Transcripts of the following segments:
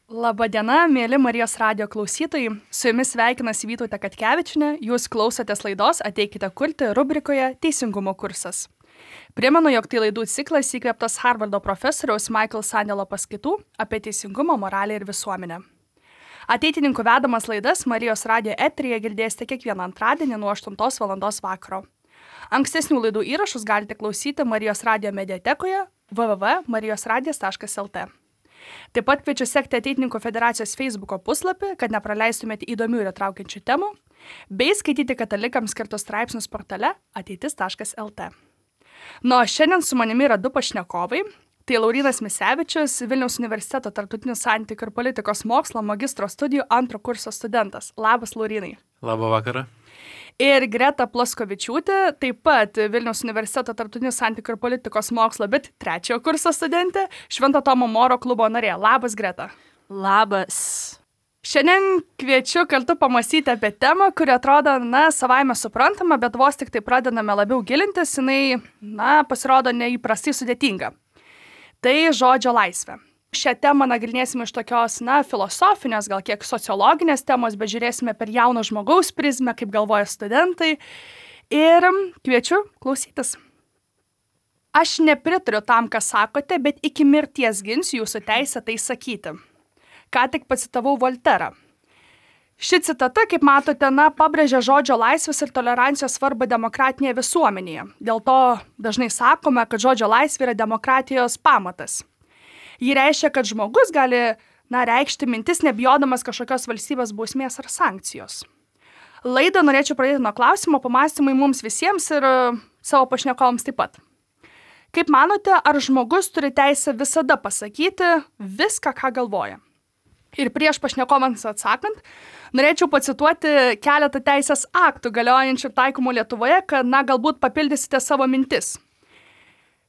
Labadiena, mėly Marijos radijo klausytojai. Su jumis sveikinasi Vytautė Katkevičienė. Jūs klausotės laidos Ateikite kurti rubrikoje Teisingumo kursas. Primenu, jog tai laidų ciklas įkvėptas Harvardo profesoriaus Michael Sandelo paskaitų apie teisingumą, moralę ir visuomenę. Ateitininkų vedamas laidas Marijos radijo eteryje girdėsite kiekvieną antradienį nuo 8 val. Vakaro. Ankstesnių laidų įrašus galite klausyti Marijos radijo mediatekoje www.marijosradijas.lt. Taip pat kviečiu sekti Ateitininkų federacijos Facebook'o puslapį, kad nepraleistumėte įdomių ir įtraukiančių temų, bei skaityti katalikams skirtus straipsnius portale ateitis.lt. O šiandien su manimi yra du pašnekovai. Tai Laurynas Misevičius, Vilniaus universiteto tarptautinių santykių ir politikos mokslo magistro studijų antro kurso studentas. Labas, Laurynai. Labą vakarą. Ir Greta Plaskovičiūtė, taip pat Vilniaus universiteto tarptautinių santykių ir politikos mokslo, bet trečiojo kurso studentė, Švento Tomo Moro klubo narė. Labas, Greta. Labas. Šiandien kviečiu kartu pamąstyti apie temą, kuri atrodo, savaime suprantama, bet vos tik tai pradedame labiau gilintis, jinai, pasirodo neįprastai sudėtinga. Tai žodžio laisvė. Šią temą nagrinėsime iš tokios, filosofinės, gal kiek sociologinės temos, bet žiūrėsime per jauno žmogaus prizmę, kaip galvoja studentai. Ir kviečiu klausytis. Aš nepritariu tam, ką sakote, bet iki mirties ginsiu jūsų teisę tai sakyti. Ką tik pacitavau Volterą. Ši citata, kaip matote, pabrėžia žodžio laisvės ir tolerancijos svarbą demokratinėje visuomenėje. Dėl to dažnai sakome, kad žodžio laisvė yra demokratijos pamatas. Ji reiškia, kad žmogus gali, reikšti mintis, nebijodamas kažkokios valstybės bausmės ar sankcijos. Laidą norėčiau pradėti nuo klausimo, pamąstymai mums visiems ir savo pašnekovams taip pat. Kaip manote, ar žmogus turi teisę visada pasakyti viską, ką galvoja? Ir prieš pašnekovams atsakant, norėčiau pacituoti keletą teisės aktų galiojančių taikomų Lietuvoje, kad, galbūt papildysite savo mintis.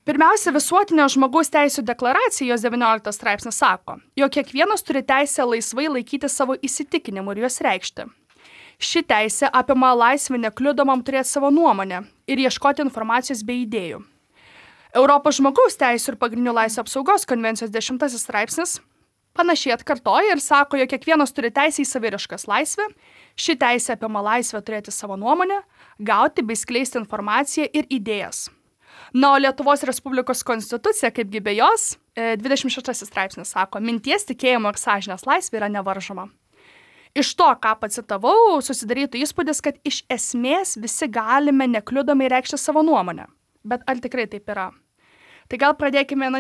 Pirmiausia, visuotinio žmogaus teisų deklaracija, jos 19 straipsnis sako, jog kiekvienas turi teisę laisvai laikyti savo įsitikinimų ir juos reikšti. Ši teisė apima laisvę nekliudomam turėti savo nuomonę ir ieškoti informacijos bei idėjų. Europos žmogaus teisų ir pagrindinių laisvių apsaugos konvencijos 10 straipsnis panašiai atkartoja ir sako, jog kiekvienas turi teisę į saviraiškos laisvę. Ši teisė apima laisvę turėti savo nuomonę, gauti bei skleisti informaciją ir idėjas. O Lietuvos Respublikos konstitucija, kaipgi be jos, 26 straipsnis sako, minties, tikėjimo ir sąžinės laisvė yra nevaržoma. Iš to, ką pacitavau, susidarytų įspūdis, kad iš esmės visi galime nekliudomai reikšti savo nuomonę. Bet ar tikrai taip yra? Tai gal pradėkime,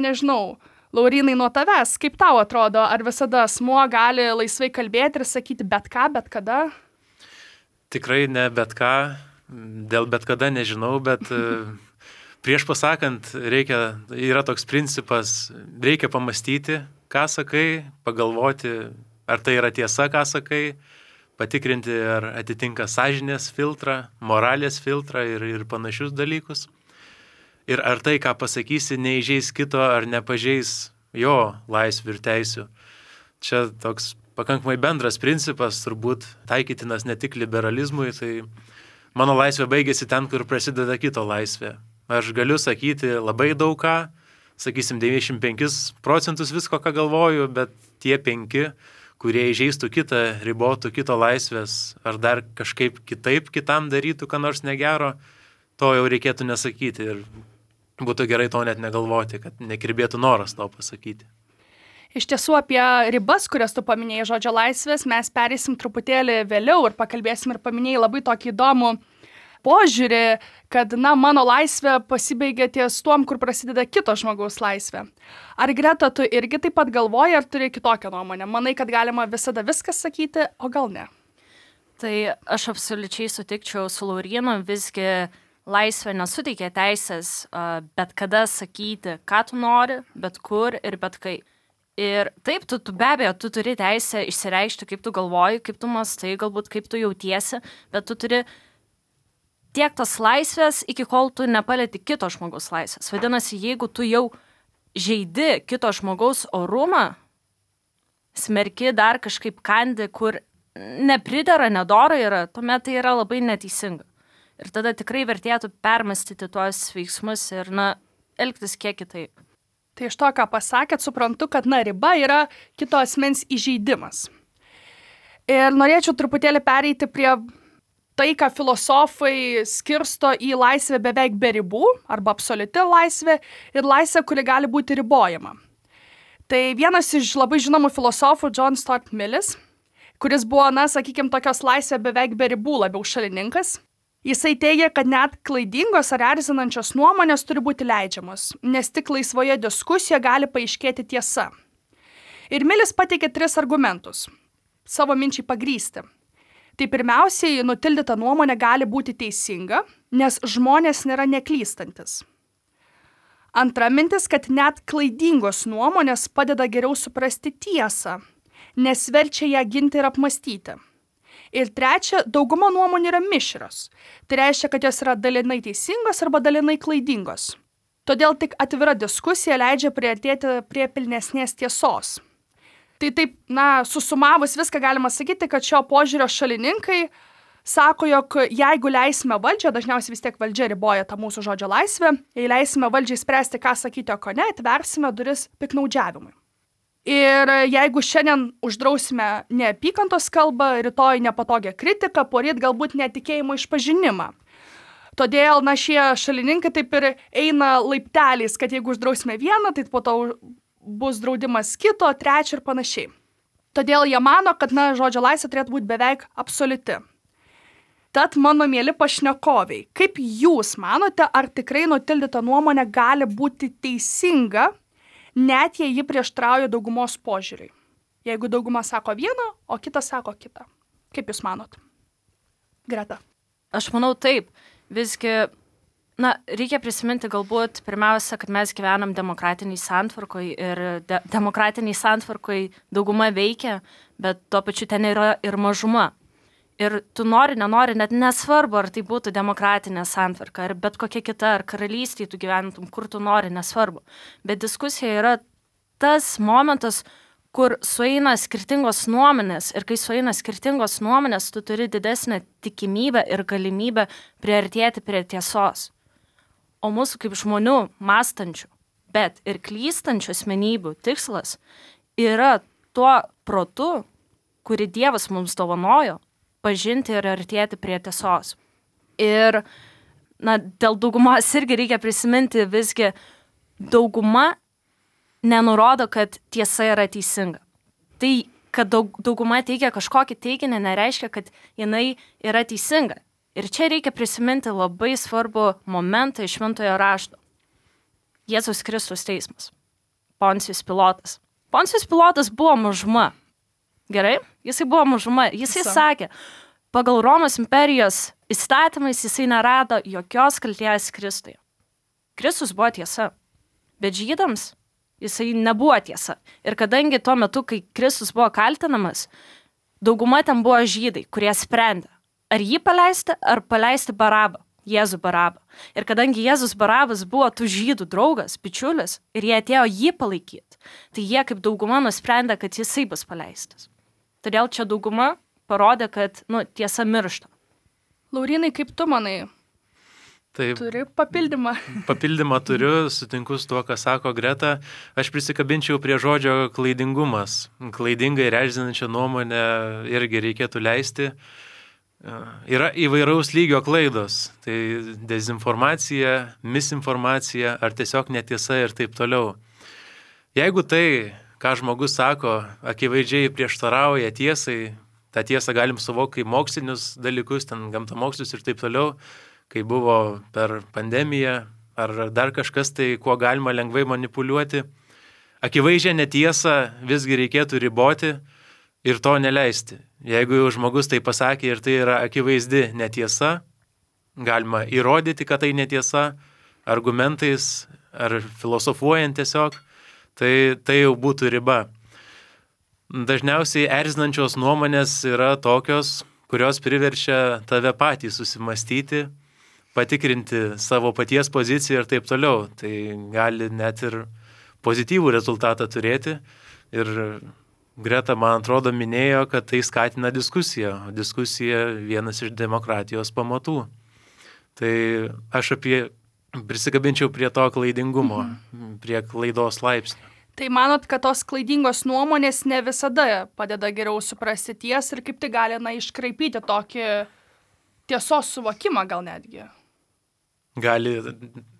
Laurynai, nuo tavęs. Kaip tau atrodo, ar visada asmuo gali laisvai kalbėti ir sakyti bet ką, bet kada? Tikrai ne bet ką, dėl bet kada nežinau, bet prieš pasakant yra toks principas, reikia pamastyti, ką sakai, pagalvoti, ar tai yra tiesa, ką sakai, patikrinti, ar atitinka sąžinės filtrą, moralės filtrą ir panašius dalykus. Ir ar tai, ką pasakysi, neįžeis kito ar nepažeis jo laisvių ir teisių. Čia toks pakankamai bendras principas, turbūt taikytinas ne tik liberalizmui, tai mano laisvė baigėsi ten, kur prasideda kito laisvė. Aš galiu sakyti labai daug ką, sakysim 95% visko, ką galvoju, bet tie 5, kurie įžeistų kitą, ribotų kito laisvės, ar dar kažkaip kitaip kitam darytų, ką nors negero, to jau reikėtų nesakyti ir būtų gerai to net negalvoti, kad nekirbėtų noras to pasakyti. Iš tiesų apie ribas, kurias tu paminėjai žodžio laisvės, mes pereisim truputėlį vėliau ir pakalbėsim ir paminėjai labai tokį įdomų požiūrį, kad, mano laisvė pasibaigia ties tuom, kur prasideda kito žmogaus laisvė. Ar Greta, tu irgi taip pat galvoji, ar turi kitokią nuomonę? Manai, kad galima visada viskas sakyti, o gal ne? Tai aš absoliučiai sutikčiau su Laurynu, visgi laisvė nesuteikia teisės bet kada sakyti, ką tu nori, bet kur ir bet kai. Ir taip, tu be abejo, tu turi teisę išsireikšti, kaip tu galvoji, kaip tu mąstai, galbūt kaip tu jautiesi, bet tu turi tiek tos laisvės, iki kol tu nepalieti kito žmogaus laisvės. Vadinasi, jeigu tu jau žeidi kito žmogaus orumą, smerki dar kažkaip kandi, kur nepridera, nedora yra, tuomet tai yra labai neteisinga. Ir tada tikrai vertėtų permastyti tuos veiksmus ir, elgtis kiek kitaip. Tai iš to, ką pasakėt, suprantu, kad riba yra kito asmens įžeidimas. Ir norėčiau truputėlį pereiti prie tai, ką filosofai skirsto į laisvę beveik be ribų, arba absoliuti laisvė, ir laisvė, kuri gali būti ribojama. Tai vienas iš labai žinomų filosofų, John Stuart Millis, kuris buvo, sakykime, tokios laisvė beveik be ribų labiau šalininkas, jisai teigia, kad net klaidingos ar erzinančios nuomonės turi būti leidžiamos, nes tik laisvoje diskusijoje gali paaiškėti tiesa. Ir Millis pateikė 3 argumentus, savo minčiai pagrysti. Tai pirmiausiai, nutildyta nuomonė gali būti teisinga, nes žmonės nėra neklystantis. Antra mintis, kad net klaidingos nuomonės padeda geriau suprasti tiesą, nes verčia ją ginti ir apmastyti. Ir trečia, dauguma nuomonių yra mišrios. Tai reiškia, kad jos yra dalinai teisingos arba dalinai klaidingos. Todėl tik atvira diskusija leidžia priartėti prie pilnesnės tiesos. Tai taip, susumavus viską galima sakyti, kad šio požiūrio šalininkai sako, jog jeigu leisime valdžią, dažniausiai vis tiek valdžia riboja tą mūsų žodžio laisvę, jei leisime valdžiai spręsti, ką sakyti, o ko ne, atversime duris piknaudžiavimui. Ir jeigu šiandien uždrausime neapykantos kalbą, rytoj nepatogią kritiką, poryt galbūt netikėjimo išpažinimą. Todėl, šie šalininkai taip ir eina laipteliais, kad jeigu uždrausime vieną, tai po to bus draudimas kito, trečio ir panašiai. Todėl jie mano, kad žodžio laisvė turėtų būti beveik absoliuti. Tad, mano mieli pašnekoviai, kaip jūs manote, ar tikrai nutildyta nuomonė gali būti teisinga, net jei ji prieštrauja daugumos požiūriui? Jeigu dauguma sako vieną, o kitas sako kitą. Kaip jūs manot? Greta. Aš manau taip. Visgi, reikia prisiminti galbūt pirmiausia, kad mes gyvenam demokratiniai santvarkoj ir demokratiniai santvarkoj dauguma veikia, bet tuo pačiu ten yra ir mažuma. Ir tu nenori, net nesvarbu, ar tai būtų demokratinė santvarka, ar bet kokia kita, ar karalystėje tu gyventum, kur tu nori, nesvarbu. Bet diskusija yra tas momentas, kur sueina skirtingos nuomonės, ir kai sueina skirtingos nuomonės, tu turi didesnę tikimybę ir galimybę priartėti prie tiesos. O mūsų kaip žmonių mąstančių, bet ir klystančių asmenybių tikslas yra tuo protu, kurį Dievas mums dovanojo, pažinti ir artėti prie tiesos. Ir, dėl daugumos irgi reikia prisiminti, visgi dauguma nenurodo, kad tiesa yra teisinga. Tai, kad dauguma teigia kažkokį teiginį, nereiškia, kad jinai yra teisinga. Ir čia reikia prisiminti labai svarbų momentą iš Šventojo rašto. Jėzaus Kristus teismas. Poncijus Pilotas. Poncijus Pilotas buvo mažuma. Gerai? Jisai buvo mažuma. Jisai sakė, pagal Romos imperijos įstatymais jisai nerado jokios kaltės Kristuje. Kristus buvo tiesa. Bet žydams jisai nebuvo tiesa. Ir kadangi tuo metu, kai Kristus buvo kaltinamas, dauguma ten buvo žydai, kurie sprendė, ar jį paleisti, ar paleisti Barabą, Jėzų Barabą. Ir kadangi Jėzus Barabas buvo tų žydų draugas, bičiulis, ir jie atėjo jį palaikyti, tai jie kaip dauguma nusprendė, kad jisai bus paleistas. Todėl čia dauguma parodė, kad, tiesa miršta. Laurynai, kaip tu manai? Taip, turi papildymą? Papildymą turiu, sutinku su tuo, ką sako Greta. Aš prisikabinčiau prie žodžio klaidingumas. Klaidingai ir erzinančią nuomonę irgi reikėtų leisti. Yra įvairaus lygio klaidos. Tai dezinformacija, misinformacija ar tiesiog netiesa ir taip toliau. Jeigu tai, ką žmogus sako, akivaizdžiai prieštarauja tiesai, tą tiesą galim suvokti kaip mokslinius dalykus, ten gamtamokslius ir taip toliau, kai buvo per pandemiją ar dar kažkas, tai kuo galima lengvai manipuliuoti. Akivaizdžią netiesą visgi reikėtų riboti ir to neleisti. Jeigu jau žmogus tai pasakė ir tai yra akivaizdi netiesa, galima įrodyti, kad tai netiesa, argumentais ar filosofuojant tiesiog, tai jau būtų riba. Dažniausiai erzinančios nuomonės yra tokios, kurios priverčia tave patį susimastyti, patikrinti savo paties poziciją ir taip toliau. Tai gali net ir pozityvų rezultatą turėti. Ir Greta, man atrodo, minėjo, kad tai skatina diskusiją. O diskusija vienas iš demokratijos pamatų. Tai aš apie prisikabinčiau prie to klaidingumo, prie klaidos laipsnio. Tai manot, kad tos klaidingos nuomonės ne visada padeda geriau suprasti tiesą ir kaip tai gali iškraipyti tokį tiesos suvokimą gal netgi? Gali,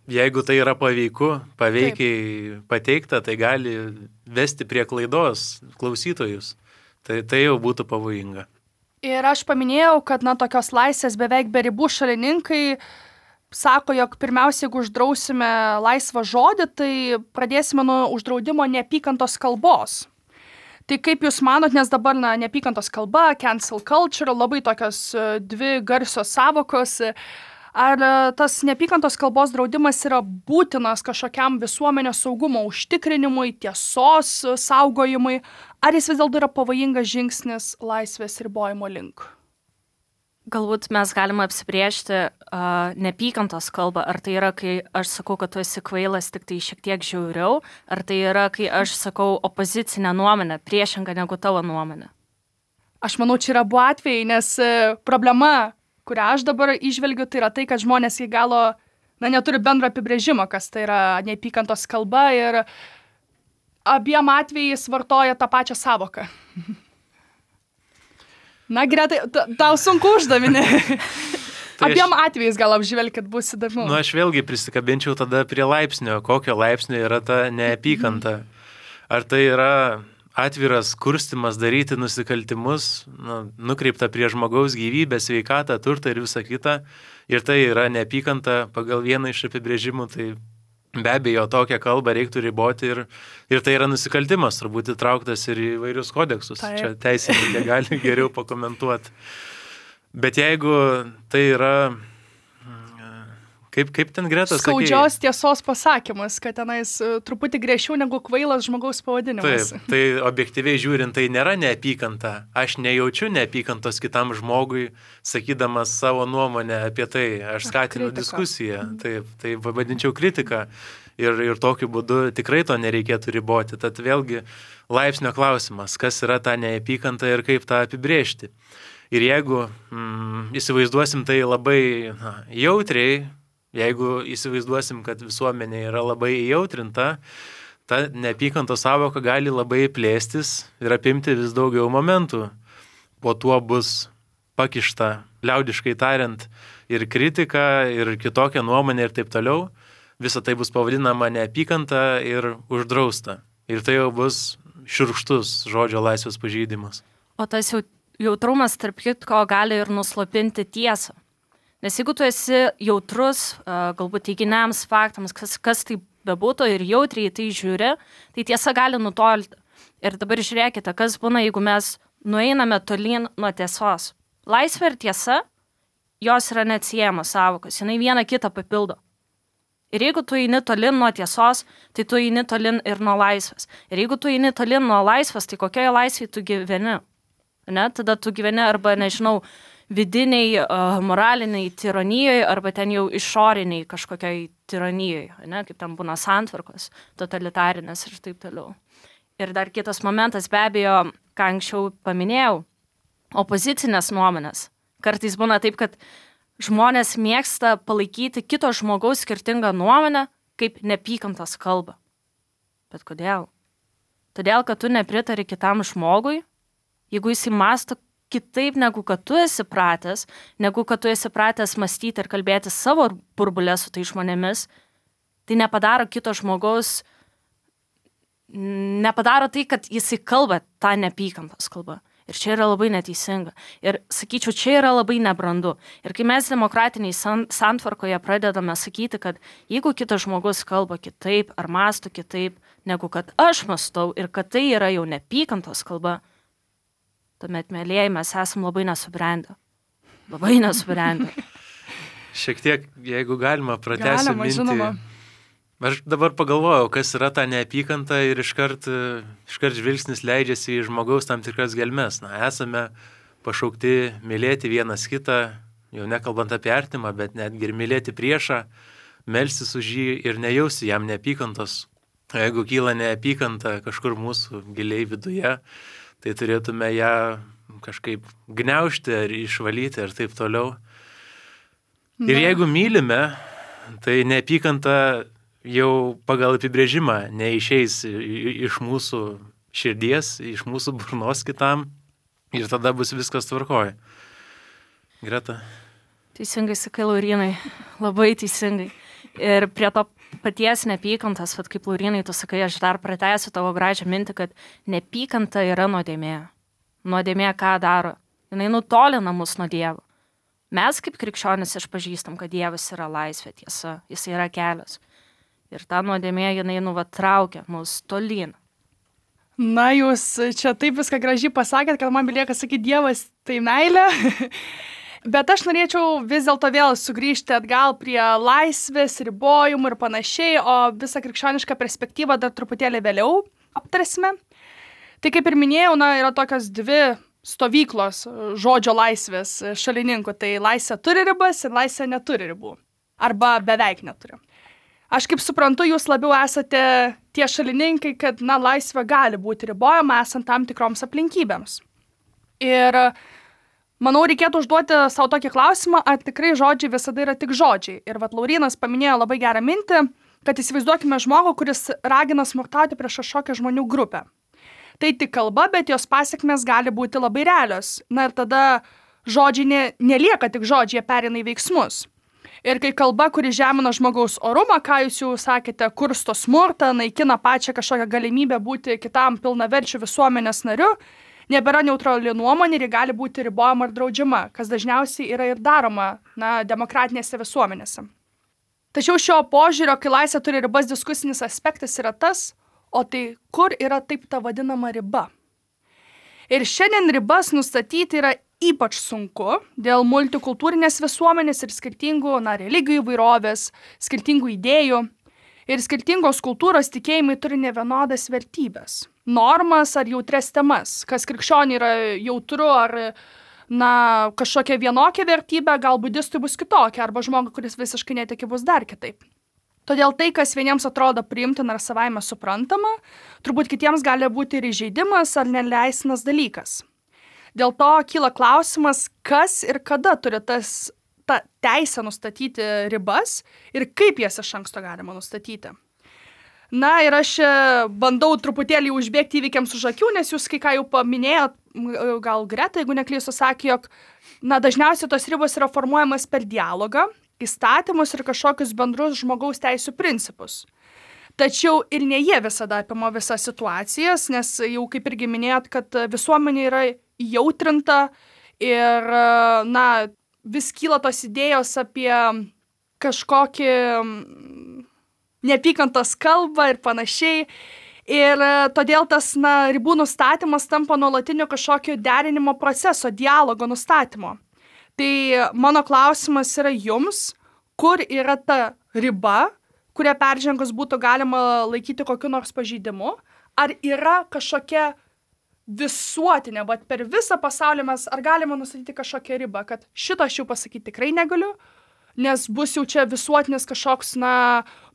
jeigu tai yra paveikiai pateikta, tai gali vesti prie klaidos klausytojus. Tai jau būtų pavojinga. Ir aš paminėjau, kad tokios laisvės beveik be ribų šalininkai sako, jog pirmiausia, jeigu uždrausime laisvą žodį, tai pradėsime nuo uždraudimo neapykantos kalbos. Tai kaip Jūs manot, nes dabar neapykantos kalba, cancel culture, labai tokios dvi garsios savokos, ar tas neapykantos kalbos draudimas yra būtinas kažkokiam visuomenės saugumo užtikrinimui, tiesos saugojimui, ar jis vis dėlto yra pavojingas žingsnis laisvės ribojimo link? Galbūt mes galime apsibrėžti neapykantos kalbą. Ar tai yra, kai aš sakau, kad tu esi kvailas, tik tai šiek tiek žiauriau, ar tai yra, kai aš sakau opozicinę nuomonę, priešingą negu tavo nuomonę? Aš manau, čia yra abu atvejai, nes problema, kurią aš dabar įžvelgiu, tai yra tai, kad žmonės iki galo neturi bendro apibrėžimo, kas tai yra neapykantos kalba ir abiem atvejais vartoja tą pačią savoką. Na, Gretai, tau sunku uždavinė. Abiem atvejais gal apžvelkit, bus įdomu. Aš vėlgi prisikabinčiau tada prie laipsnio. Kokio laipsnio yra ta neapykanta? Ar tai yra atviras kurstimas daryti nusikaltimus, nukreipta prie žmogaus gyvybę, sveikatą, turtą ir visą kitą. Ir tai yra neapykanta pagal vieną iš apibrėžimų, tai be abejo tokią kalbą reiktų riboti ir tai yra nusikaltimas, turbūt įtrauktas ir į vairius kodeksus. Taip. Čia teisininkė gali geriau pakomentuoti. Bet jeigu tai yra, kaip ten Greta sakė? Skaudžios tiesos pasakymas, kad tenais truputį griežčiau negu kvailas žmogaus pavadinimas. Taip, tai objektyviai žiūrint, tai nėra neapykanta. Aš nejaučiu neapykantos kitam žmogui, sakydamas savo nuomonę apie tai. Aš skatinu diskusiją. Taip, tai vadinčiau kritiką. Ir tokiu būdu tikrai to nereikėtų riboti. Tad vėlgi laipsnio klausimas, kas yra ta neapykanta ir kaip tą apibrėžti. Ir jeigu įsivaizduosim tai labai jautriai, jeigu įsivaizduosim, kad visuomenė yra labai įjautrinta, ta neapykantos savoka gali labai plėstis ir apimti vis daugiau momentų. Po tuo bus pakišta, liaudiškai tariant, ir kritika, ir kitokia nuomonė ir taip toliau. Visa tai bus pavadinama neapykanta ir uždrausta. Ir tai jau bus šiurkštus žodžio laisvės pažeidimas. O tas jautrumas, tarp kitko, gali ir nuslopinti tiesą. Nes jeigu tu esi jautrus, galbūt teiginiams, faktams, kas tai bebūtų ir jautriai tai žiūri, tai tiesa gali nutolti. Ir dabar žiūrėkite, kas būna, jeigu mes nueiname tolyn nuo tiesos. Laisvė ir tiesa, jos yra neatsiejamos savokos, jinai viena kitą papildo. Ir jeigu tu eini tolyn nuo tiesos, tai tu eini tolyn ir nuo laisvės. Ir jeigu tu eini tolyn nuo laisvės, tai kokioje laisvėje tu gyveni? Ne? Tada tu gyveni arba, nežinau, vidiniai, moraliniai tironijoje arba ten jau išoriniai kažkokiai tironijoje, ne? Kaip ten būna santvarkos, totalitarinės ir taip toliau. Ir dar kitas momentas, be abejo, ką anksčiau paminėjau, opozicinės nuomonės. Kartais būna taip, kad žmonės mėgsta palaikyti kito žmogaus skirtingą nuomonę kaip neapykantos kalbą. Bet kodėl? Todėl, kad tu nepritari kitam žmogui, jeigu jis mąsto kitaip, negu kad tu esi pratęs, negu kad tu esi pratęs mąstyti ir kalbėti savo burbulę su tai žmonėmis, tai nepadaro kito žmogaus, nepadaro tai, kad jisai kalba tą neapykantos kalbą. Ir čia yra labai neteisinga. Ir sakyčiau, čia yra labai nebrandu. Ir kai mes demokratiniai santvarkoje pradedame sakyti, kad jeigu kitas žmogus kalba kitaip ar mąsto kitaip, negu kad aš mąstau ir kad tai yra jau neapykantos kalba, tuomet, mėlėjai, mes esam labai nesubrendę. Labai nesubrendę. Šiek tiek, jeigu galima, pratęsiu mintį. Žinoma. Aš dabar pagalvojau, kas yra ta neapykanta ir iškart žvilgsnis leidžiasi į žmogaus tam tikras gelmes. Esame pašaukti mylėti vienas kitą, jau nekalbant apie artimą, bet netgi ir mylėti priešą, melstis už jį ir nejausti jam neapykantos. Jeigu kyla neapykanta kažkur mūsų giliai viduje, tai turėtume ją kažkaip gniaužti ar išvalyti ir taip toliau. Ir jeigu mylime, tai neapykanta jau pagal apibrėžimą neišeis iš mūsų širdies, iš mūsų burnos kitam ir tada bus viskas tvarkoje. Greta. Teisingai sakai, Laurinai, labai teisingai. Ir prie to paties neapykantas, vat kaip Laurinai tu sakai, aš dar pratęsiu tavo gražią mintį, kad neapykanta yra nuodėmė. Nuodėmė ką daro? Jinai nutolina mus nuo Dievo. Mes kaip krikščionis išpažįstam, kad Dievas yra laisvė, tiesa, jis yra kelias. Ir ta nuodėmė jinai traukia mus tolyn. Na, jūs čia taip viską gražiai pasakėt, kad man belieka sakyti, Dievas tai meilė. Bet aš norėčiau vis dėlto vėl sugrįžti atgal prie laisvės, ribojimų ir panašiai, o visą krikščionišką perspektyvą dar truputėlį vėliau aptarsime. Tai kaip ir minėjau, yra tokios dvi stovyklos žodžio laisvės šalininkų. Tai laisvė turi ribas ir laisvė neturi ribų. Arba beveik neturi. Aš kaip suprantu, jūs labiau esate tie šalininkai, kad laisvė gali būti ribojama esant tam tikroms aplinkybėms. Ir manau, reikėtų užduoti savo tokį klausimą, ar tikrai žodžiai visada yra tik žodžiai. Ir Laurinas paminėjo labai gerą mintį, kad įsivaizduokime žmogų, kuris ragina smurtauti prieš kažkokią žmonių grupę. Tai tik kalba, bet jos pasekmės gali būti labai realios. Ir tada žodžiai nelieka tik žodžiai, jie pereina į veiksmus. Ir kai kalba, kuri žemina žmogaus orumą, ką jūs jau sakėte, kursto smurtą, naikina pačią kažkokią galimybę būti kitam pilnaverčiu visuomenės nariu, nebėra neutrali nuomonė ir gali būti ribojama ar draudžiama, kas dažniausiai yra ir daroma demokratinėse visuomenėse. Tačiau šio požiūrio, kai laisvė turi ribas, diskusinis aspektas yra tas, o tai kur yra taip ta vadinama riba. Ir šiandien ribas nustatyti yra ypač sunku dėl multikultūrinės visuomenės ir skirtingų religijų įvairovės, skirtingų idėjų. Ir skirtingos kultūros tikėjimai turi nevienodas vertybės, normas ar jautres temas, kas krikščioniui yra jautru ar kažkokia vienokia vertybė, gal budistui bus kitokia, arba žmogui, kuris visiškai netiki, bus dar kitaip. Todėl tai, kas vieniems atrodo priimtina ar savaime suprantama, turbūt kitiems gali būti ir įžeidimas ar neleistinas dalykas. Dėl to kyla klausimas, kas ir kada turi tą teisę nustatyti ribas ir kaip jas iš anksto galima nustatyti. Ir aš bandau truputėlį užbėgti įvykiams už akių, nes jūs kai ką jau paminėjot, gal Greta, jeigu neklystu, sakė, jog dažniausiai tos ribos yra formuojamas per dialogą, įstatymus ir kažkokius bendrus žmogaus teisų principus. Tačiau ir ne jie visada apima visas situacijas, nes jau kaip irgi minėjot, kad visuomenė yra jautrinta ir, vis kyla tos idėjos apie kažkokį neapykantos kalbą ir panašiai. Ir todėl tas ribų nustatymas tampa nuolatiniu kažkokio derinimo proceso, dialogo nustatymo. Tai mano klausimas yra jums, kur yra ta riba, kurią peržengus būtų galima laikyti kokiu nors pažeidimu, ar yra kažkokia visuotinė, bet per visą pasaulį ar galima nustatyti kažkokią ribą, kad šito aš jau pasakyti tikrai negaliu, nes bus jau čia visuotinis kažkoks,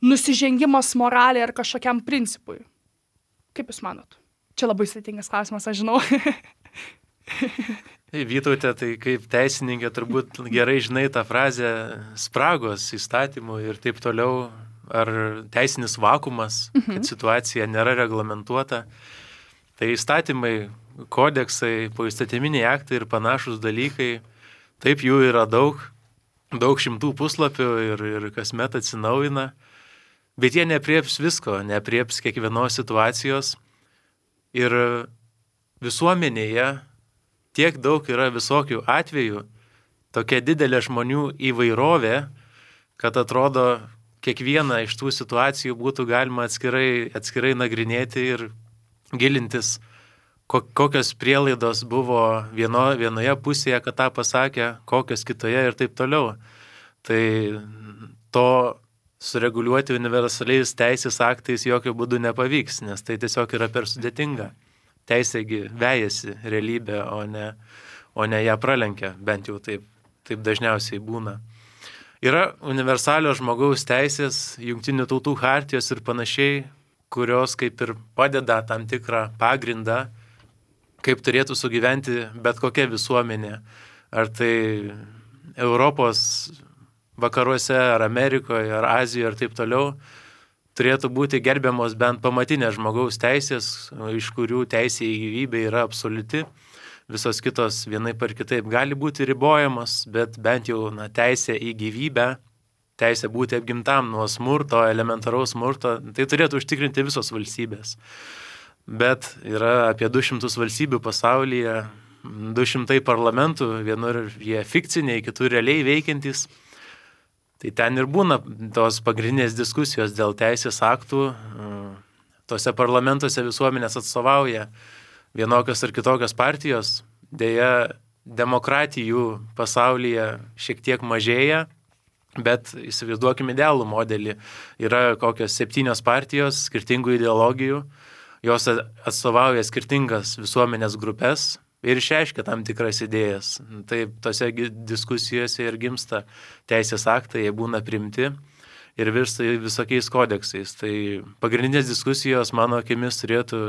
nusižengimas moraliai ar kažkokiam principui. Kaip jūs manot? Čia labai sudėtingas klausimas, aš žinau. Vytautė, tai kaip teisininkė turbūt gerai žinai tą frazę spragos įstatymų ir taip toliau, ar teisinis vakumas, kad situacija nėra reglamentuota. Tai įstatymai, kodeksai, poįstatyminiai aktai ir panašus dalykai, taip jų yra daug šimtų puslapių ir kasmet atsinaujina, bet jie neaprieps visko, neaprieps kiekvienos situacijos. Ir visuomenėje tiek daug yra visokių atvejų, tokia didelė žmonių įvairovė, kad atrodo, kiekvieną iš tų situacijų būtų galima atskirai nagrinėti ir gilintis, kokios prielaidos buvo vienoje pusėje, kad tą pasakė, kokios kitoje ir taip toliau. Tai to sureguliuoti universaliais teisės aktais jokių būdų nepavyks, nes tai tiesiog yra per sudėtinga. Teisėgi vejasi realybę, o ne ją pralenkia, bent jau taip dažniausiai būna. Yra universalios žmogaus teisės, jungtinių tautų chartijos ir panašiai, kurios kaip ir padeda tam tikrą pagrindą, kaip turėtų sugyventi bet kokia visuomenė. Ar tai Europos vakaruose, ar Amerikoje, ar Azijoje, ir taip toliau, turėtų būti gerbiamos bent pamatinės žmogaus teisės, iš kurių teisė į gyvybę yra absoliuti. Visos kitos vienaip ar kitaip gali būti ribojamos, bet bent jau teisė į gyvybę, teisė būti apgintam nuo smurto, elementaraus smurto, tai turėtų užtikrinti visos valstybės. Bet yra apie 200 valstybių pasaulyje, 200 parlamentų, vienur jie fikciniai, kitur realiai veikiantys. Tai ten ir būna tos pagrindinės diskusijos dėl teisės aktų. Tose parlamentuose visuomenės atstovauja vienokios ar kitokios partijos. Deja, demokratijų pasaulyje šiek tiek mažėja, bet įsivaizduokime idealų modelį. Yra kokios 7 partijos, skirtingų ideologijų, jos atstovauja skirtingas visuomenės grupės ir išreiškia tam tikras idėjas. Taip, tose diskusijose ir gimsta teisės aktai, jie būna priimti ir virsta visokiais kodeksais. Tai pagrindinės diskusijos, mano akimis, turėtų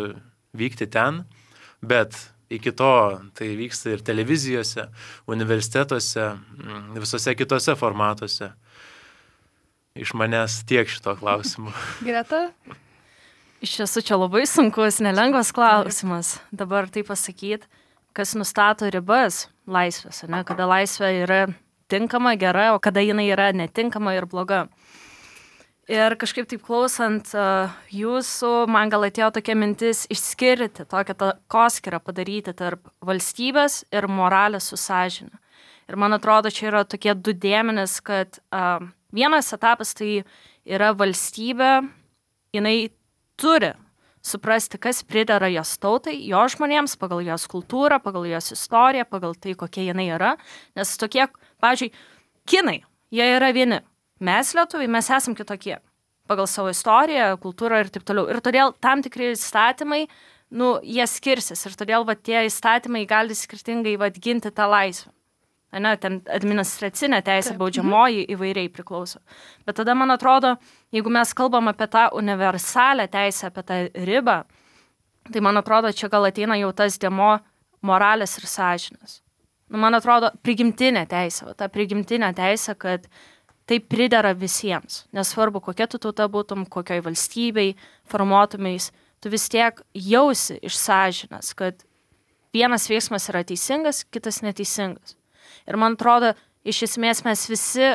vykti ten, bet iki to tai vyksta ir televizijose, universitetuose, visose kitose formatuose. Iš manęs tiek šito klausimu. Greta? Iš tiesų čia labai sunkus, nelengvas klausimas. Dabar tai pasakyti, kas nustato ribas laisvės, ne? Kada laisvė yra tinkama, gera, o kada jinai yra netinkama ir bloga. Ir kažkaip taip klausant jūsų, man gal atėjo tokia mintis išskirti, tokią takoskyrą padaryti tarp valstybės ir moralės su sąžine. Ir man atrodo, čia yra tokie 2 dėmenys, kad vienas etapas tai yra valstybė, jinai turi suprasti, kas pridera jos tautai, jo žmonėms, pagal jos kultūrą, pagal jos istoriją, pagal tai, kokie jinai yra. Nes tokie, pavyzdžiui, kinai, jie yra vieni. Mes lietuviai, mes esam kitokie pagal savo istoriją, kultūrą ir taip toliau. Ir todėl tam tikri įstatymai, jie skirsis. Ir todėl tie įstatymai gali skirtingai ginti tą laisvę. Ten administracinė teisė, baudžiamoji įvairiai priklauso. Bet tada, man atrodo, jeigu mes kalbam apie tą universalę teisę, apie tą ribą, tai, man atrodo, čia gal ateina jau tas dėmuo moralės ir sąžinės. Man atrodo, prigimtinė teisė, ta prigimtinė teisė, kad tai pridera visiems. Nesvarbu, kokia tu tauta būtum, kokioj valstybei formuotumais, tu vis tiek jausi iš sąžinės, kad vienas veiksmas yra teisingas, kitas neteisingas. Ir man atrodo, iš esmės mes visi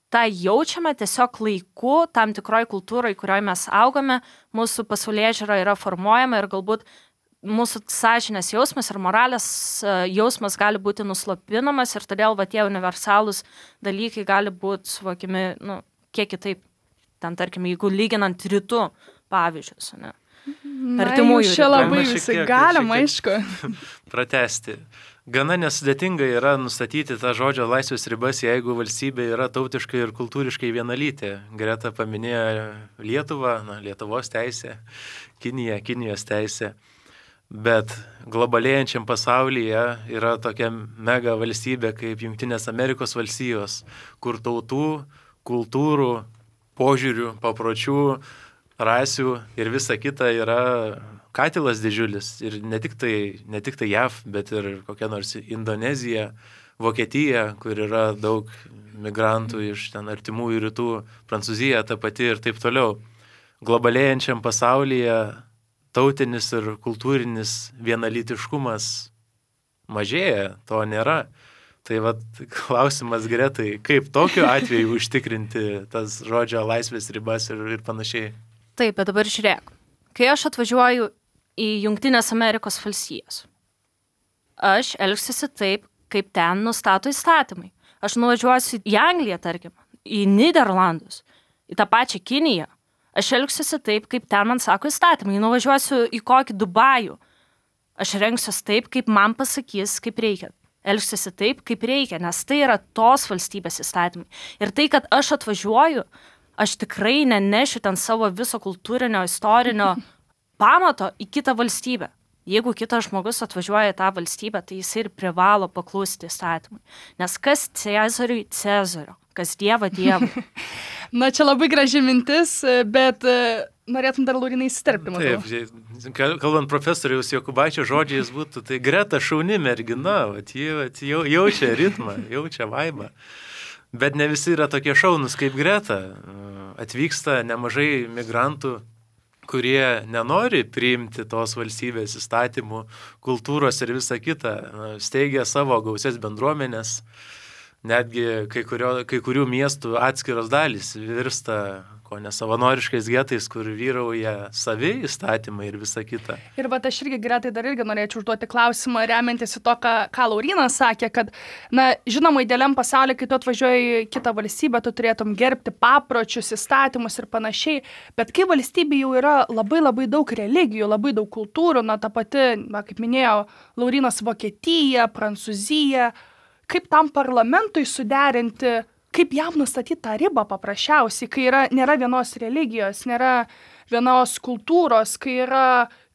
tą jaučiame tiesiog laiku, tam tikroj kultūrai, kurioje mes augame, mūsų pasaulėžiūra yra formuojama ir galbūt mūsų sąžinės jausmas ir moralės jausmas gali būti nuslopinamas ir todėl tie universalūs dalykai gali būti suvokiami, kiek kitaip. Ten, tarkim, jeigu lyginant rytų pavyzdžius, ne? Artimųjų čia labai visi galima, aišku. Pratesti. Gana nesudėtinga yra nustatyti tą žodžio laisvės ribas, jeigu valstybė yra tautiškai ir kultūriškai vienalytė. Greta paminėjo Lietuvą, Lietuvos teisė, Kinijos teisė. Bet globalėjančiam pasaulyje yra tokia mega valstybė kaip Jungtinės Amerikos valstijos, kur tautų, kultūrų, požiūrių, papročių, rasių ir visa kita yra katilas didžiulis. Ir ne tik tai JAV, bet ir kokia nors Indonezija, Vokietija, kur yra daug migrantų iš ten artimųjų rytų, Prancūzija ta pati ir taip toliau. Globalėjančiam pasaulyje tautinis ir kultūrinis vienalytiškumas mažėja, to nėra. Tai klausimas Gretai, kaip tokiu atveju užtikrinti tas žodžio laisvės ribas ir panašiai? Taip, bet dabar žiūrėk. Kai aš atvažiuoju į Jungtinės Amerikos valstijas, aš elgsiuosi taip, kaip ten nustato įstatymai. Aš nuvažiuosiu į Angliją, tarkim, į Niderlandus, į tą pačią Kiniją. Aš elgsiuosi taip, kaip ten man sako įstatymai. Nuvažiuosiu į kokį Dubajų. Aš rengsiuosi taip, kaip man pasakys, kaip reikia. Elgsiuosi taip, kaip reikia, nes tai yra tos valstybės įstatymai. Ir tai, kad aš atvažiuoju, aš tikrai nenešiu ten savo viso kultūrinio, istorinio pamato į kitą valstybę. Jeigu kitas žmogus atvažiuoja į tą valstybę, tai jis ir privalo paklusti įstatymui. Nes kas Cezariui Cezario, kas Dievą Dievui. Čia labai graži mintis, bet norėtum dar Laurinai įsiterpti. Taip, kalbant profesoriaus Jokubaičio žodžiais būtų, tai Greta šauni mergina, ji jaučia ritmą, jaučia vaibą. Bet ne visi yra tokie šaunus kaip Greta. Atvyksta nemažai migrantų, kurie nenori priimti tos valstybės įstatymų, kultūros ir visą kitą. Steigia savo gausias bendruomenės. Netgi kai kurių miestų atskiros dalys virsta ko nesavanoriškais getais, kur vyrauja savi įstatymai ir visa kita. Ir va, aš irgi Gretai dar irgi norėčiau užduoti klausimą, remiantis į to, ką Laurynas sakė, kad, žinoma, idealiam pasaulyje, kai tu atvažiuoji į kitą valstybę, tu turėtum gerbti papročius, įstatymus ir panašiai, bet kai valstybė jau yra labai labai daug religijų, labai daug kultūrų, ta pati, kaip minėjo Laurynas, Vokietija, Prancūzija, kaip tam parlamentui suderinti, kaip jam nustatyti tą ribą paprasčiausiai, kai nėra vienos religijos, nėra vienos kultūros, kai yra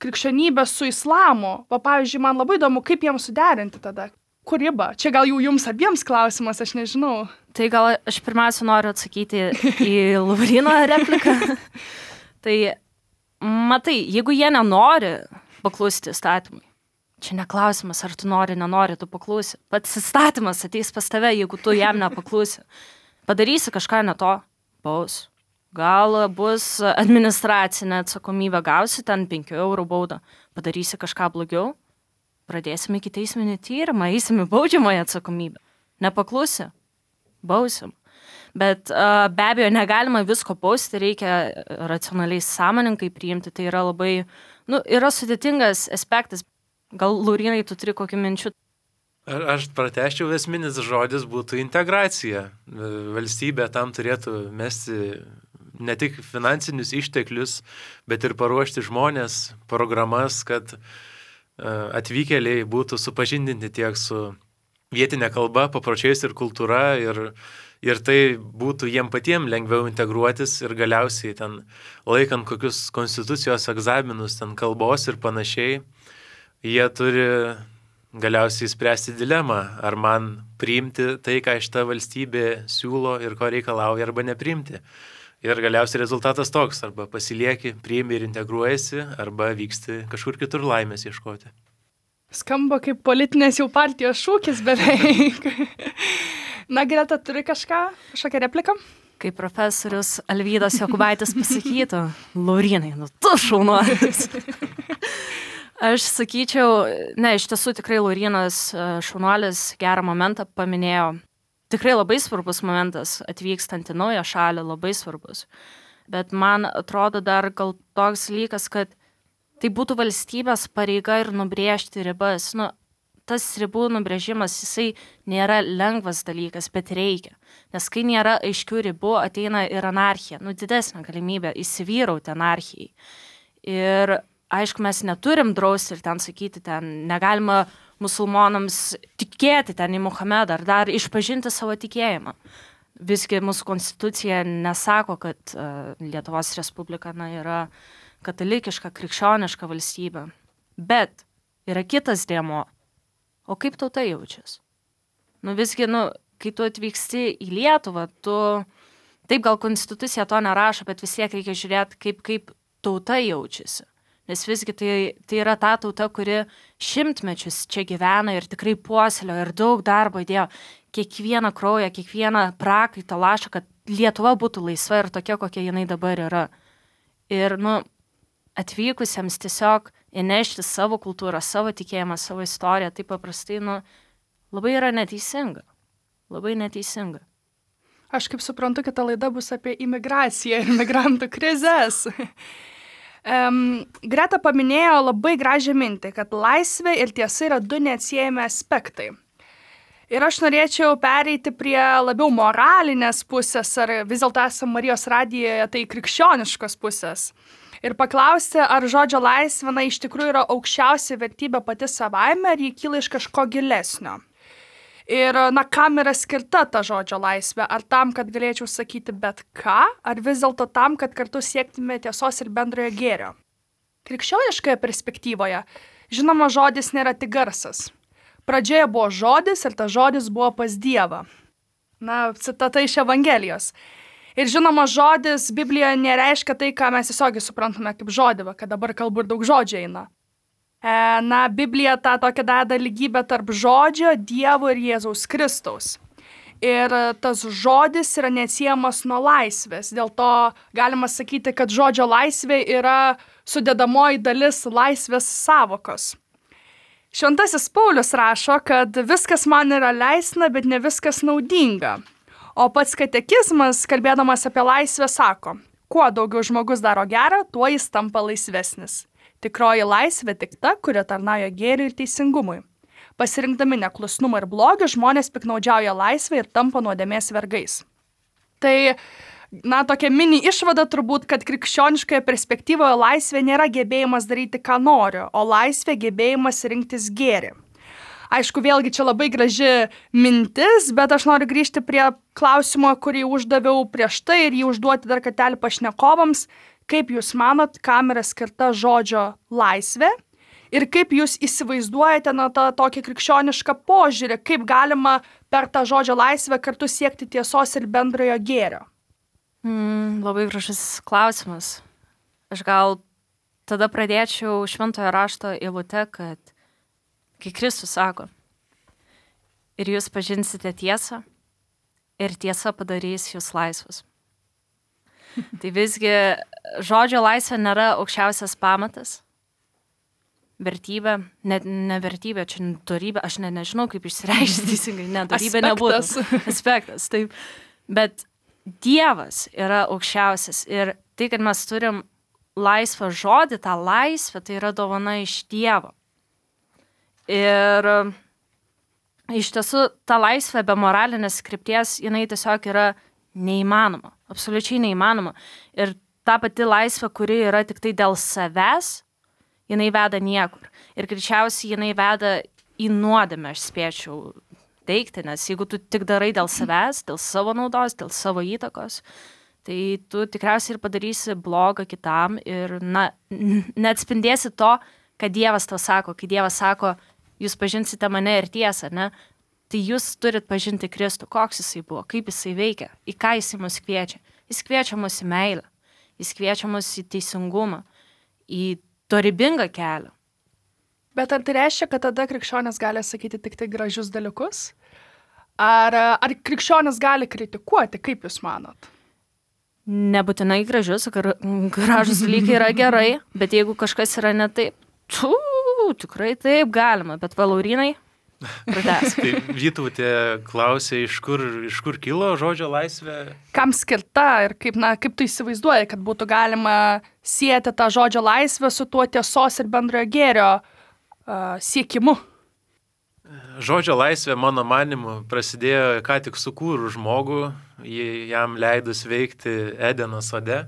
krikščionybė su islamu. Pavyzdžiui, man labai įdomu, kaip jam suderinti tada. Kur riba? Čia gal jau jums abiems klausimas, aš nežinau. Tai gal aš pirmiausia noriu atsakyti į Lauryno repliką. Tai matai, jeigu jie nenori paklusti įstatymui, čia neklausimas, ar tu nenori, tu paklausi. Pats įstatymas ateis pas tave, jeigu tu jam nepaklausi. Padarysi kažką ne to, baus. Gal bus administracinė atsakomybė, gausi ten 5 eurų baudą. Padarysi kažką blogiau, pradėsime ikiteisminį tyrimą, eisime baudžiamąją atsakomybę. Nepaklausi, bausim. Bet be abejo, negalima visko bausti, reikia racionaliai sąmoningai priimti. Tai yra labai, yra sudėtingas aspektas. Gal, Laurynai, tu turi kokių minčių? Aš pratęsčiau, esminis žodis būtų integracija. Valstybė tam turėtų mesti ne tik finansinius išteklius, bet ir paruošti žmonės, programas, kad atvykėliai būtų supažindinti tiek su vietinė kalba, papročiais ir kultūra ir tai būtų jiem patiem lengviau integruotis ir galiausiai ten laikant kokius konstitucijos egzaminus, ten kalbos ir panašiai, jie turi galiausiai spręsti dilemą, ar man priimti tai, ką šita valstybė siūlo ir ko reikalauja, arba nepriimti. Ir galiausiai rezultatas toks, arba pasilieki, priimi ir integruojasi, arba vyksti kažkur kitur laimės ieškoti. Skamba kaip politinės jau partijos šūkis beveik. Greta, turi kažkokią repliką? Kaip profesorius Alvydas Jokubaitis pasakytų, Laurynai, tu šaunuolis. Aš sakyčiau, iš tiesų tikrai Laurynas šaunuolis gerą momentą paminėjo. Tikrai labai svarbus momentas atvykstant į naują šalį, labai svarbus. Bet man atrodo dar gal toks dalykas, kad tai būtų valstybės pareiga ir nubrėžti ribas. Tas ribų nubrėžimas, jisai nėra lengvas dalykas, bet reikia. Nes kai nėra aiškių ribų, ateina ir anarchija. Didesnė galimybė įsivyrauti anarchijai. Ir aišku, mes neturim drausti ir ten sakyti, ten negalima musulmonams tikėti ten į Muhamedą ar dar išpažinti savo tikėjimą. Visgi mūsų konstitucija nesako, kad Lietuvos Respublika yra katalikiška, krikščioniška valstybė. Bet yra kitas dėmuo. O kaip tauta jaučiasi? Visgi, kai tu atvyksti į Lietuvą, taip gal konstitucija to nerašo, bet vis tiek reikia žiūrėti, kaip tauta jaučiasi. Nes visgi tai yra ta tauta, kuri šimtmečius čia gyvena ir tikrai puoselėjo ir daug darbo įdėjo. Kiekvieną kraują, kiekvieną prakaitą lašą, kad Lietuva būtų laisva ir tokia, kokia jinai dabar yra. Ir, atvykusiems tiesiog įnešti savo kultūrą, savo tikėjimą, savo istoriją, tai paprastai, labai yra neteisinga. Labai neteisinga. Aš kaip suprantu, kita laida bus apie imigraciją ir migrantų krizes. Greta paminėjo labai gražią mintį, kad laisvė ir tiesa yra du neatsiejami aspektai. Ir aš norėčiau pereiti prie labiau moralinės pusės, ar vis dėlto esame Marijos radijoje, tai krikščioniškos pusės. Ir paklausti, ar žodžio laisvė iš tikrųjų yra aukščiausia vertybė pati savaime, ar jį kyla iš kažko gilesnio. Ir, kam yra skirta ta žodžio laisvė? Ar tam, kad galėčiau sakyti bet ką, ar vis dėlto tam, kad kartu siektume tiesos ir bendrojo gėrio? Krikščioniškoje perspektyvoje, žinoma, žodis nėra tik garsas. Pradžioje buvo žodis ir tas žodis buvo pas Dievą. Citata iš Evangelijos. Ir žinoma, žodis Biblijoje nereiškia tai, ką mes tiesiogiai suprantame kaip žodį, kad dabar kalbu ir daug žodžių eina. Biblija tą tokią deda lygybę tarp žodžio, Dievo ir Jėzaus Kristaus. ir tas žodis yra neatsiejamas nuo laisvės. Dėl to galima sakyti, kad žodžio laisvė yra sudedamoji dalis laisvės savokos. Šventasis Paulius rašo, kad viskas man yra leistina, bet ne viskas naudinga. O pats katekizmas, kalbėdamas apie laisvę, sako, kuo daugiau žmogus daro gerą, tuo jis tampa laisvesnis. Tikroji laisvė tik ta, kuri tarnauja gėriui ir teisingumui. Pasirinkdami neklusnumą ir blogį, žmonės piknaudžiauja laisvę ir tampa nuodėmės vergais. Tai, tokia mini išvada turbūt, kad krikščioniškoje perspektyvoje laisvė nėra gebėjimas daryti, ką noriu, o laisvė gebėjimas rinktis gėrį. Aišku, vėlgi čia labai graži mintis, bet aš noriu grįžti prie klausimo, kurį uždaviau prieš tai ir jį užduoti dar kartelį pašnekovams. Kaip jūs manot, kam yra skirta žodžio laisvė ir kaip jūs įsivaizduojate tą tokį krikščionišką požiūrį, kaip galima per tą žodžio laisvę kartu siekti tiesos ir bendrojo gėrio? Labai gražus klausimas. Aš gal tada pradėčiau šventojo rašto eilute, kad kai Kristus sako, ir jūs pažinsite tiesą, ir tiesa padarys jūs laisvus. Tai visgi žodžio laisvė nėra aukščiausias pamatas, vertybė, ne vertybė, čia dorybė, aš nežinau, kaip išsireikšti teisingai, dorybė nebūtų. Aspektas, taip. Bet Dievas yra aukščiausias ir tai, kad mes turim laisvą žodį, tą laisvę, tai yra dovana iš Dievo. Ir iš tiesų, ta laisvė be moralinės krypties, jinai tiesiog yra neįmanoma, absoliučiai neįmanoma. Ir ta pati laisvė, kuri yra tik tai dėl savęs, jinai veda niekur. Ir greičiausiai jinai veda į nuodėmę, aš spėčiau teikti, nes jeigu tu tik darai dėl savęs, dėl savo naudos, dėl savo įtakos, tai tu tikriausiai ir padarysi blogą kitam ir neatspindėsi to, kad Dievas tau sako, kai Dievas sako, jūs pažinsite mane ir tiesą, ne? Tai jūs turit pažinti Kristų, koks jisai buvo, kaip jisai veikia, į ką jisai mus kviečia. Jis kviečia mus į meilę, jis kviečia mus į teisingumą, į dorybingą kelią. Bet ar tai reiškia, kad tada krikščionis gali sakyti tik tai gražius dalykus? Ar krikščionis gali kritikuoti, kaip jūs manot? Nebūtinai gražius, gražus dalykai yra gerai, bet jeigu kažkas yra ne taip, tikrai taip galima, bet Laurynai, pratęsk. Tai Vytautė klausė, iš kur kilo žodžio laisvė? Kam skirta ir kaip tu įsivaizduoji, kad būtų galima sieti tą žodžio laisvę su tuo tiesos ir bendrojo gėrio siekimu? Žodžio laisvė, mano manimu, prasidėjo ką tik sukūrus žmogų, jam leidus veikti Edeno sode,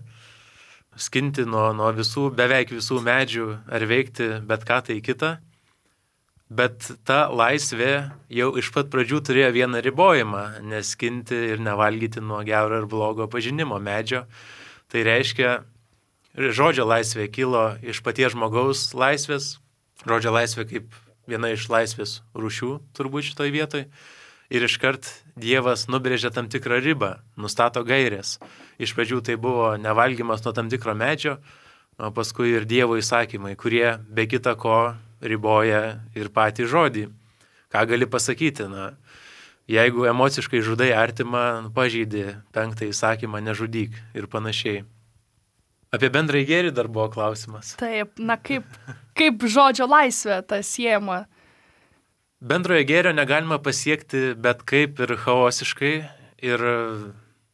skinti nuo beveik visų medžių ar veikti bet ką tai kitą. Bet ta laisvė jau iš pat pradžių turėjo vieną ribojimą, neskinti ir nevalgyti nuo gero ir blogo pažinimo medžio. Tai reiškia, žodžio laisvė kilo iš paties žmogaus laisvės, žodžio laisvė kaip viena iš laisvės rūšių turbūt šitoj vietoj. Ir iškart Dievas nubrėžia tam tikrą ribą, nustato gairės. Iš pradžių tai buvo nevalgymas nuo tam tikro medžio, o paskui ir Dievo įsakymai, kurie be kita ko riboja ir patį žodį. Ką gali pasakyti? Jeigu emociškai žudai artimą, pažeidi 5 įsakymą, nežudyk ir panašiai. Apie bendrąjį gėrį dar buvo klausimas. Taip, kaip žodžio laisvė tas siejama? Bendrojo gėrio negalima pasiekti bet kaip ir chaosiškai ir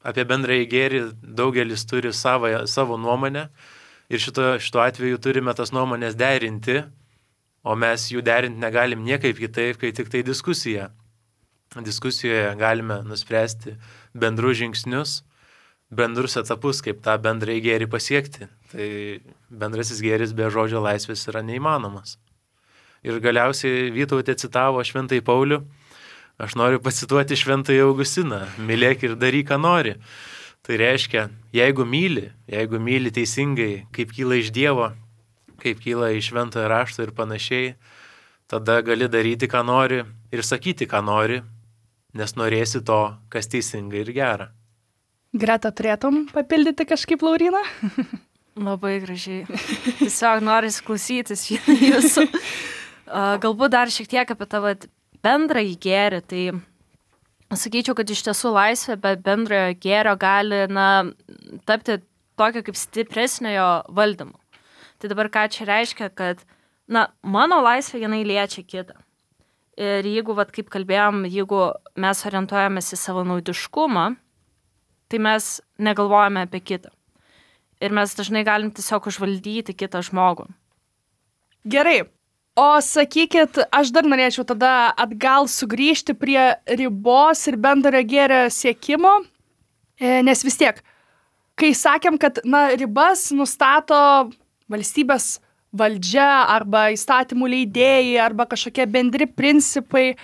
apie bendrąjį gėrį daugelis turi savo nuomonę ir šito atveju turime tas nuomonės derinti, o mes jų derinti negalim niekaip kitaip, kai tik tai diskusija. Diskusijoje galime nuspręsti bendrus žingsnius, bendrus etapus, kaip tą bendrąjį gėrį pasiekti. Tai bendrasis gėris be žodžio laisvės yra neįmanomas. Ir galiausiai Vytautė citavo Šventąjį Paulių. Aš noriu pacituoti Šventąjį Augustiną. Mylėk ir daryk, ką nori. Tai reiškia, jeigu myli teisingai, kaip kyla iš Dievo, kaip kyla iš Šventojo rašto ir panašiai, tada gali daryti, ką nori ir sakyti, ką nori, nes norėsi to, kas teisinga ir gera. Greta, turėtum papildyti kažkaip Lauryną? Labai gražiai. Tiesiog norisi klausytis jūsų. Galbūt dar šiek tiek apie tavo bendrąjį gėrį. Tai sakyčiau, kad iš tiesų laisvė be bendrojo gėrio gali tapti tokio kaip stipresnio valdymo. Tai dabar ką čia reiškia, kad mano laisvė jinai liečia kitą. Ir jeigu, kaip kalbėjom, jeigu mes orientuojamės į savo naudiškumą, tai mes negalvojame apie kitą. Ir mes dažnai galim tiesiog užvaldyti kitą žmogų. Gerai. O sakykit, aš dar norėčiau tada atgal sugrįžti prie ribos ir bendrojo gėrio siekimo, nes vis tiek, kai sakėm, kad ribas nustato valstybės valdžia arba įstatymų leidėjai arba kažkokie bendri principai,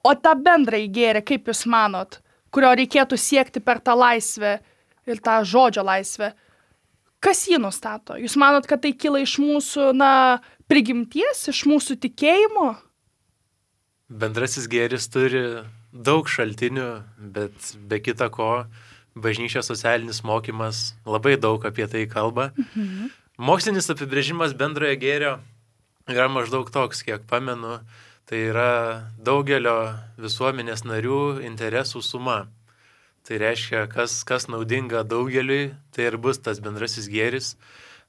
o tą bendrąjį gėrį, kaip jūs manot, kurio reikėtų siekti per tą laisvę ir tą žodžio laisvę, kas jį nustato? Jūs manot, kad tai kyla iš mūsų, prigimties, iš mūsų tikėjimo? Bendrasis gėris turi daug šaltinių, bet be kita ko, bažnyčios socialinis mokymas labai daug apie tai kalba. Mokslinis apibrėžimas bendrojo gėrio yra maždaug toks, kiek pamenu, tai yra daugelio visuomenės narių interesų suma. Tai reiškia, kas naudinga daugeliui, tai ir bus tas bendrasis gėris,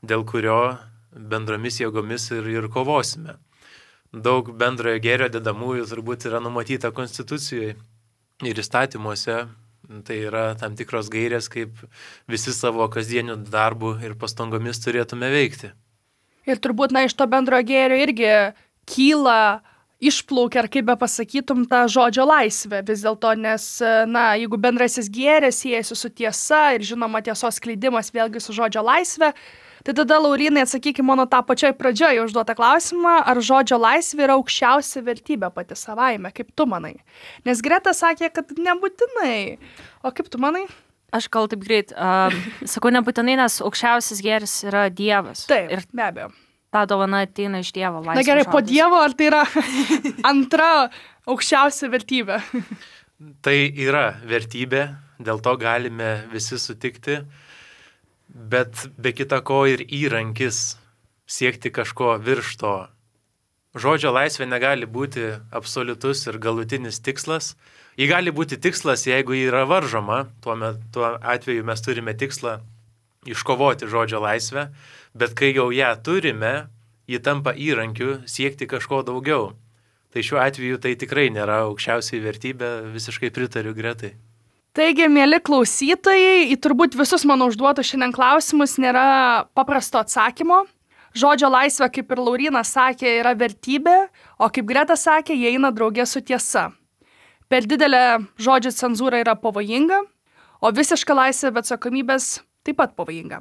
dėl kurio bendromis jėgomis ir kovosime. Daug bendrojo gėrio dedamųjų turbūt yra numatyta Konstitucijoje ir įstatymuose. Tai yra tam tikros gairės, kaip visi savo kasdienių darbų ir pastangomis turėtume veikti. Ir turbūt, iš to bendrojo gėrio irgi kyla, išplaukia, ar kaip be pasakytum, tą žodžio laisvę. Vis dėlto, nes, jeigu bendrasis gėris siejasi su tiesa ir žinoma tiesos skleidimas vėlgi su žodžio laisvė, tai tada, Laurynai, atsakykime mano tą pačioj pradžioje užduotą klausimą, ar žodžio laisvė yra aukščiausia vertybė pati savaime, kaip tu manai? Nes Greta sakė, kad nebūtinai. O kaip tu manai? Aš gal taip greit sakau nebūtinai, nes aukščiausias gėris yra Dievas. Taip, ir be abejo. Ta dovana ateina iš Dievo laisvės. Na gerai, po Dievo, ar tai yra antra aukščiausia vertybė? Tai yra vertybė, dėl to galime visi sutikti. Bet be kita ko ir įrankis siekti kažko virš to. Žodžio laisvė negali būti absoliutus ir galutinis tikslas. Ji gali būti tikslas, jeigu ji yra varžoma. Tuo atveju mes turime tikslą iškovoti žodžio laisvę, bet kai jau ją turime, ji tampa įrankiu siekti kažko daugiau. Tai šiuo atveju tai tikrai nėra aukščiausiai vertybė, visiškai pritariu Gretai. Taigi, mėly klausytojai, į turbūt visus mano užduotus šiandien klausimus nėra paprasto atsakymo. Žodžio laisvė, kaip ir Laurynas sakė, yra vertybė, o kaip Greta sakė, jie eina draugė su tiesa. Per didelė žodžio cenzūra yra pavojinga, o visiška laisvė be atsakomybės taip pat pavojinga.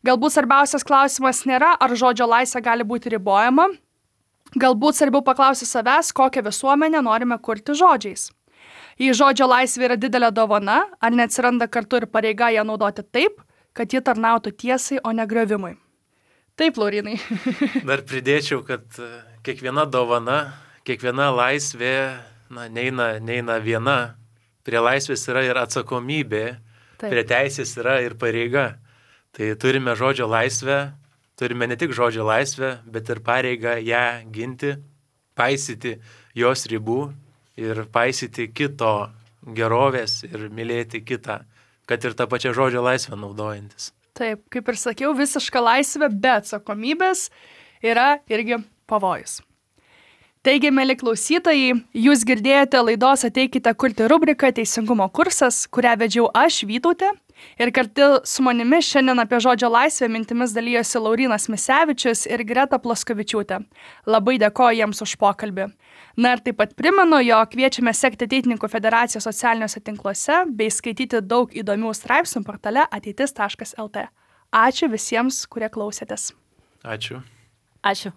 Galbūt svarbiausias klausimas nėra, ar žodžio laisvė gali būti ribojama. Galbūt svarbiau paklausti savęs, kokią visuomenę norime kurti žodžiais. Jei žodžio laisvė yra didelė dovana, ar neatsiranda kartu ir pareiga ją naudoti taip, kad ji tarnautų tiesai, o ne griovimui. Taip, Laurynai. Dar pridėčiau, kad kiekviena dovana, kiekviena laisvė neina viena. Prie laisvės yra ir atsakomybė, taip. Prie teisės yra ir pareiga. Tai turime žodžio laisvę, turime ne tik žodžio laisvę, bet ir pareigą ją ginti, paisyti jos ribų ir paisyti kito gerovės ir mylėti kitą, kad ir tą pačią žodžio laisvę naudojantis. Taip, kaip ir sakiau, visiška laisvė be atsakomybės yra irgi pavojus. Taigi, mėly klausytojai, jūs girdėjote laidos Ateikite kurti rubriką Teisingumo kursas, kurią vedžiau aš, Vytautė, ir kartu su manimi šiandien apie žodžio laisvę mintimis dalijosi Laurynas Misevičius ir Greta Plaskovičiūtė. Labai dėkoju jiems už pokalbį. Na ir taip pat primenu, jog kviečiame sekti Ateitininkų federacijos socialiniuose tinkluose bei skaityti daug įdomių straipsnių portale ateitis.lt. Ačiū visiems, kurie klausėtės. Ačiū. Ačiū.